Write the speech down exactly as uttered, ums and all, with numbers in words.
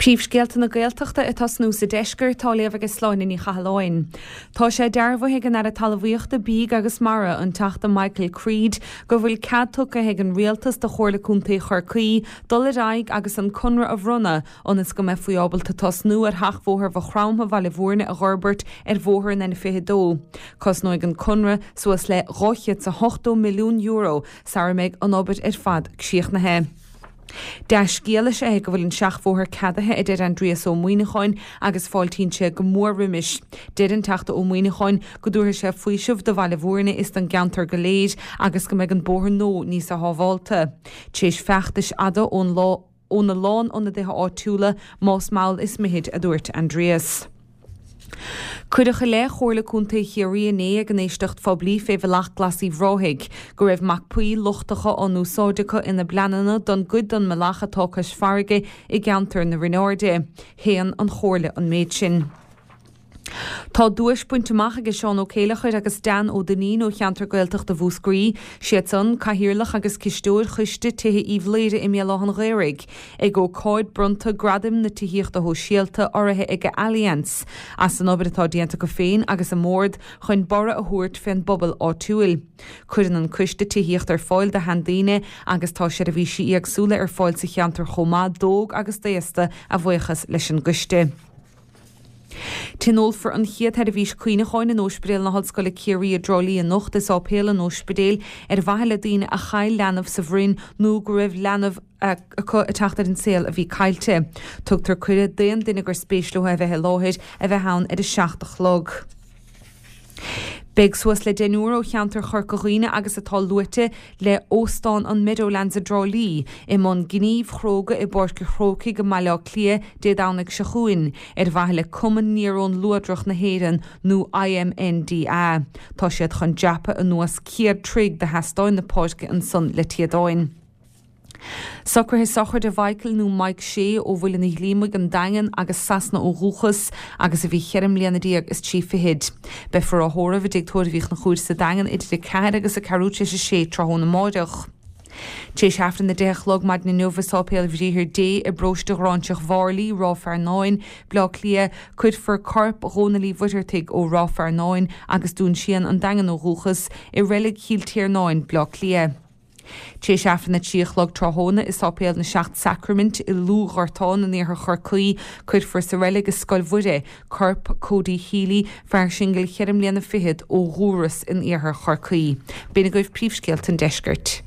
Príomhscéalta na Gaeltachta ag tosnú sa deisceart á léamh ag Sláine Ní Chathalláin. Tá sé dearbhaithe ag an Aire Talmhaíochta, Bídh agus Mara, an Teachta Michael Creed, go bhfuil cead tugtha ag an Rialtas do Chomhairle Contae Chorcaí dul ar aghaidh agus an conradh a bhronnadh ionas go mbeifí ábalta tosnú ar sheachbhóthar Mhaigh Chromtha Bhaile Bhúirne a dh'fhorbairt ar bhóthar an N fiche dó. Cosnóidh an conradh suas le dhá chéad is a hochtó milliún euro sara mbeidh an obair ar fad críochnaithe. Dea-scéal is ea é go bhfuil an seachbhóthar ceadaithe, a deir Aindrias Ó Muimhneacháin, agus fáiltíonn sé go mór roimis. Deir an Teachta Ó Muimhneacháin go dtabharfaidh sé faoiseamh do Bhaile Bhúirne is don gceantar go léir agus go mbeidh an bóthar nua níosa shábhálta. Tar éis feachtais fhada ón lá óna lán ionadaithe áitiúla, más mall is mithid, a dúirt Aindrias. Cuireadh i leith Chomhairle Contae Chiarraí inné ag an éisteacht phoiblí fé Bhealach Glas Uíbh Ráthaigh go raibh mapaí lochtacha á n-úsáid acu ina bpleananna don gcuid den mbealach atá cois farraige i gceantar na Rinne Airde. Shéan an Chomhairle an méid sin. Tá duais bainte amach ag Seán Ó Céileachair agus Dan Ó Duinnín ó cheantar Gaeltachta Mhúscraí, siad san, Cathaoirleach agus Cisteoir Choiste Tithe Uíbh Laoire i mBéal Átha an Ghaorthaidh, ag ócáid bronnta Gradaim na Tithíochta Shóisialta urraithe ag Allianz, as an obair atá déanta acu féin agus a mbord chun borradh a thabhairt fén bpobal áitiúil. Cuireann an coiste tithíocht ar fáil do sheandaoine agus tá seirbhísí éagsúla ar fáil sa cheantar chomh maith d'óg agus d'aosta a bhuíochas leis an gcoiste. Tionólfar an chéad sheirbhís cuimhneacháin in Ospidéal na hOllscoile Ciarraí i dTrá Lí anocht i Sáipéal an Ospidéil ar mhaithe le daoine a chaill leanbh sa bhroinn nó go raibh leanbh acu ag teacht ar an saol a bhí caillte. Tugtar cuireadh d'aon duine gur spéis leo a bheith i láthair a bheith ann ar a seacht a chlog. Beidh suas le deichniúr ó cheantar Chorca Dhuibhne agus atá luaite le Óstán an Meadowlands i dTrá Lí i mbun gníomh chróga i bPáirc an Chrócaigh i mBaile Átha Cliath Dé Domhnaigh seo chugainn ar mhaithe le Cumann Néarón Luadrach na hÉireann nó I M N D A. Tá siad chun dreapadh anuas céad troigh de sheastáin na páirce ansan le téadáin. Socruithe sochraide Mhichael nó Mike Shea ó Mhuileann an Ghlíomaigh, an Daingean agus Sasana ó dhúchas agus a bhí cheithre mbliana déag is trí fichid. Beifear á thórramh i dTigh Tórraimh Uí Chonchúir sa Daingean idir a ceathair agus a ceathrú tar éis a sé tráthnóna amáireach. Tar éis Aifreann a deich a chlog maidin inniu i Sáipéal Bhriathar Dé i bparóiste Ghráinseach Mharlaí, Ráth Fearnáin, Bleá Cliath, cuirfear corp Dhónaill Uí Mhuircheartaigh ó Ráth Fearnáin agus Dún Síon an Daingean ó dhúchas i reilig Chill Tiarnáin, Bleá Cliath. Tar éis Aifreann a trí a chlog tráthnóna i Sáipéal na Seacht Sacraimint i Lúth-Ghortán in iarthar Chorcaí, cuirfear sa reilig i Scoil Mhuire corp Cody Healy, fear singil cheithre mbliana fichead ó Dhúras in iarthar Chorcaí. B'in agaibh príomhscéalta an deiscirt.